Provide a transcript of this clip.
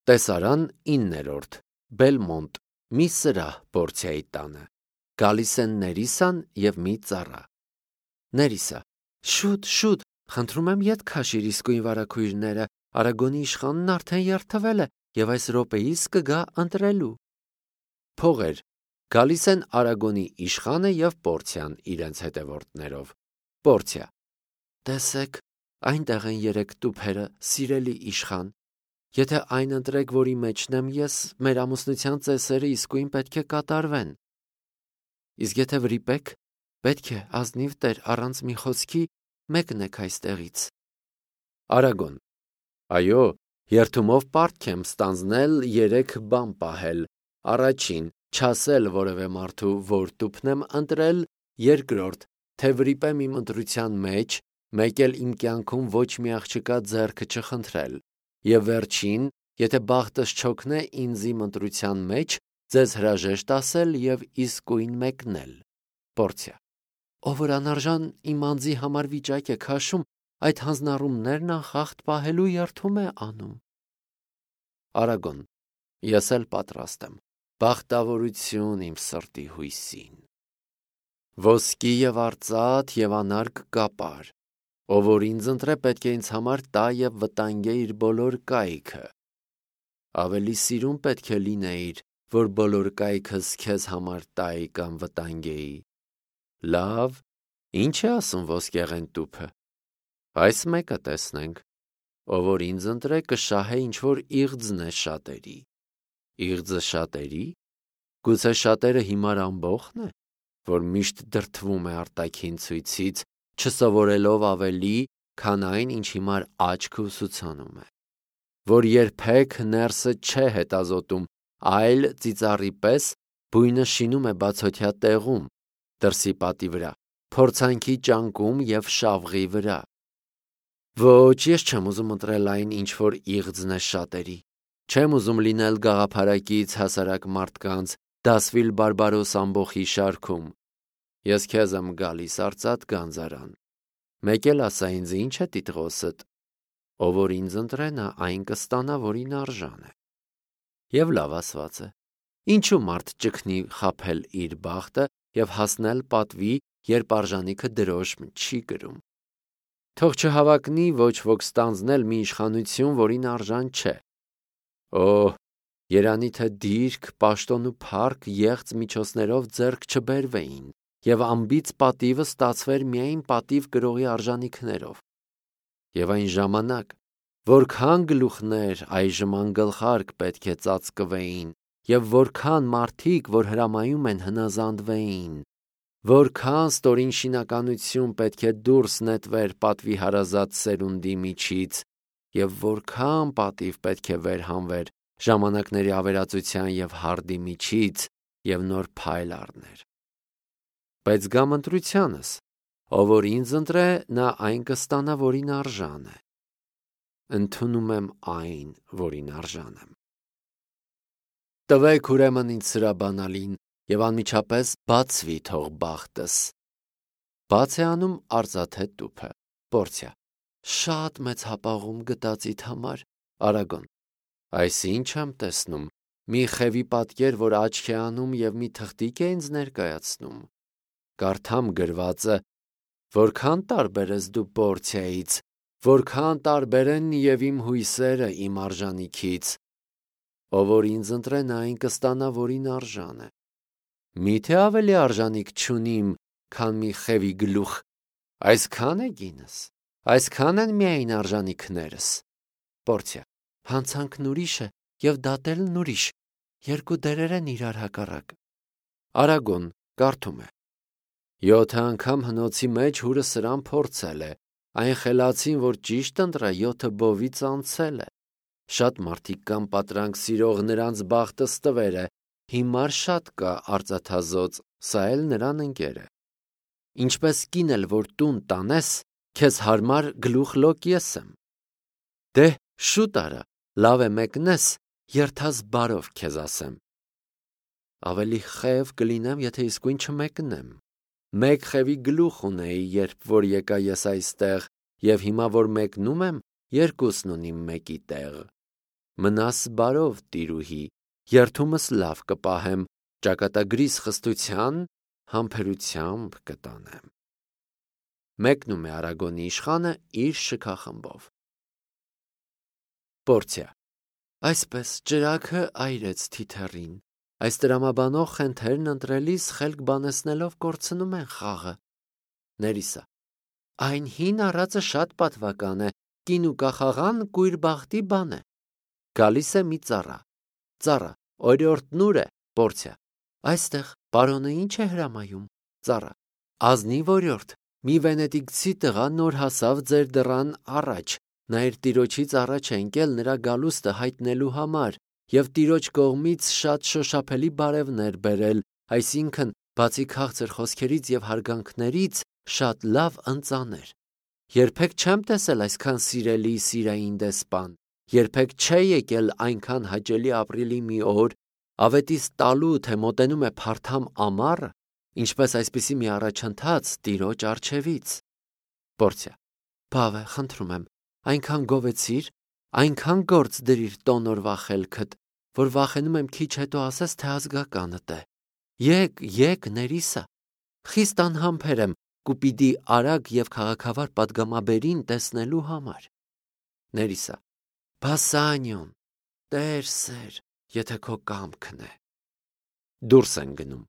Տեսարան 9-րդ Բելմոնտ, մի սրահ Պորցիայի տանը։ Գալիս են Ներիսան և մի ծառա։ Ներիսա. շուտ, խնդրում եմ ետ քաշիր իսկույն վարագույրները, Արագոնի իշխանն արդեն երդվել է և այս րոպեիս կգա ընտրելու։ Փողեր, գալիս են Արագոնի իշխանը և Պորցիան իրենց հետևորդներով։ Պորցիա. տեսեք, այնտեղ են 3 տուփերը, սիրելի իշխան։ Եթե այն ընտրեք, որի մեջն եմ ես, մեր ամուսնության ծեսերը իսկույն պետք է կատարվեն։ Իսկ եթե վրիպեք, պետք է ազնիվ տեր առանց մի խոսքի մեկնեք այստեղից։ Արագոն. այո, երդումով պարտք եմ ստանձնել 3 բան պահել։ Առաջին, չասել որևէ մարդու, որ տուփն եմ ընտրել, երկրորդ, թե վրիպեմ իմ ընտրության մեջ, մեկ էլ իմ կյանքում ոչ մի աղջկա ձեռքը չխնդրել, և վերջին, եթե բախտս չօգնե ինձ իմ ընտրության մեջ, ձեզ հրաժեշտ ասել և իսկույն մեկնել։ Պորցիա. ով որ անարժան իմ անձի համար վիճակ է քաշում, այդ հանձնառումներն անխախտ պահելու երդում է անում։ Արագոն. ես էլ պատրաստ եմ։ Բախտավորություն իմ սրտի հույսին։ Ոսկի և արծաթ և անարգ կապար, ով որ ինձ ընտրե, պետք է ինձ համար տա և վտանգե իր բոլոր կայքը։ Ավելի սիրուն պետք է լինեիր, որ բոլոր կայքս քեզ համար տայի կամ վտանգեի։ Լավ, ի՞նչ է ասում ոսկեղեն տուփը։ Այս մեկը տեսնենք, ով որ ինձ ընտրե, կշահե ինչ-որ իղձն է շատերի։ Իղձը շատերի՞։ Գուցե շատերը հիմար ամբոխն է, որ միշտ դրդվում է արտաքին ցույցից, չսովորելով ավելի, քան այն, ինչ հիմար աչքը ուսուցանում է, որ երբեք ներսը չէ հետազոտում, այլ ծիծառի պես բույնը շինում է բացօթյա տեղում, դրսի պատի վրա, փորձանքի ճանկում և շավղի վրա։ Ոչ, ես չեմ ուզում ընտրել այն, ինչ որ իղձն է շատերի։ Չեմ ուզում լինել գաղափարակից հասարակ մարդկանց Դասվիլ Բարբարոս ամբոխի շարքում։ Ես քեզ եմ գալիս, արծաթ գանձարան։ Մեկ էլ ասա ինձ, ինչ է տիտղոսդ։ Ով որ ինձ ընտրե, նա այն կստանա, որին արժան է։ Եվ լավ ասված է։ Ինչու մարդ ճգնի խաբել իր բախտը և հասնել պատվի, երբ արժանիքը դրոշմ չի կրում։ Թող չհավակնի ոչ ոք ստանձնել մի իշխանություն, որին արժան չէ։ Օհ, երանի թե դիրք, պաշտոն ու փառք եղծ միջոցներով ձեռք չբերվեին, և անբիծ պատիվը ստացվեր միայն պատիվ կրողի արժանիքներով։ Եվ այն ժամանակ, որքան գլուխներ այժմ անգլխարկ պետք է ծածկվեին, և որքան մարդիկ, որ հրամայում են, հնազանդվեին, որքան ստորին շինականություն պետք է դուրս նետվեր պատվի հարազատ սերունդի միջից, և որքան պատիվ պետք է վերհանվեր ժամանակների ավերածության և հարդի միջից և նոր փայլ առներ։ Բայց գամ ընտրությանս, ով որ ինձ ընտրե, նա այն կստանա, որին արժան է։ Ընդունում եմ այն, որին արժան եմ։ Տվեք ուրեմն ինձ սրա բանալին, և անմիջապես բացվի թող բախտս։ Բաց է անում արծաթե տուփը։ Պորցիա. շատ մեծ հապաղում գտածիդ համար։ Արագոն. այսինչ եմ տեսնում, մի խևի պատկեր, որ աչք է անում և մի թղթիկ է ինձ ներկայացնում։ Կարդամ գրվածը. որքան տարբեր ես դու Պորցիայից, որքան տարբեր են և իմ հույսերը իմ արժանիքից։ Ով որ ինձ ընտրե, նա այն կստանա, որին արժան է։ Միթե ավելի արժանիք չունիմ, քան մի խևի գլուխ։ Այսքան է գինս, այսքան են միայն արժանիքներս։ Պորցիա. հանցանքն ուրիշ է և դատելն ուրիշ, երկու դերեր են իրար հակառակ։ Արագոն կարդում է. 7 անգամ հնոցի մեջ հուրը սրան փորձել է, այն խելացին, որ ճիշտ ընտրա, 7 բովից անցել է։ Շատ մարդիկ կան պատրանք սիրող, նրանց բախտը ստվեր է, հիմար շատ կա արծաթազոծ, սա էլ նրան ընկեր է։ Ինչպես կին էլ որ տուն տանես, քեզ հարմար գլուխլոկ ես եմ։ Դե շուտ արա, լավ է մեկնես, երդաս բարով քեզ ասեմ։ Ավելի խև կլինեմ, եթե իսկույն չմեկնեմ։ Մեկ խևի գլուխ ունեի, երբ որ եկա ես այստեղ, և հիմա որ մեկնում եմ, երկուսն ունիմ մեկի տեղ։ Մնաս բարով, տիրուհի, երդումս լավ կպահեմ, ճակատագրիս խստության, համբերությամբ կտանեմ։ Մեկնում է Արագոնի իշխանը իր շքախմբով։ Պորցիա։ Այսպես ճրագը այրեց թիթեռին, այս տրամաբանող խենթերն ընտրելիս խելք բանեցնելով կորցնում են խաղը։ Ներիսա։ Այն հին առածը շատ պատվական է, կին ու կախաղան կույր բախտի բան է։ Գալիս է մի ծառա։ Ծառա, օրիորդ նուր է, Պորցիա։ Այստեղ պարոնը ինչ է հրամայում։ Ծառա։ Ազնիվ օրիորդ, մի վենետիկցի տղա նոր հասավ ձեր դռան առաջ, նա իր տիրոջից առաջ է ընկել նրա գալուստը հայտնելու համար և տիրոջ կողմից շատ շոշափելի բարևներ բերել, այսինքն բացի քաղցր խոսքերից և հարգանքներից շատ լավ ընծաներ։ Երբեք չեմ տեսել այսքան սիրելի սիրային դեսպան, երբեք չէ եկել այնքան հաճելի ապրիլի մի օր, ավետիս տալու, թե մոտենում է փարթամ ամառը, ինչպես այսպիսի մի առաջընթաց տիրոջ առջևից։ Պորցիա։ Բավե, խնդրում եմ, այնքան գովեցիր, այնքան գործ դրիր տոնորվա խելքդ, որ վախենում եմ քիչ հետո ասես, թե ազգականդ է։ Եկ, Ներիսա, խիստ անհամբեր եմ Կուպիդի արագ և քաղաքավար պատգամաբերին տեսնելու համար։ Ներիսա։ Բասանյոն, տեր սեր, եթե քո կամքն է։ Դուրս են գնում։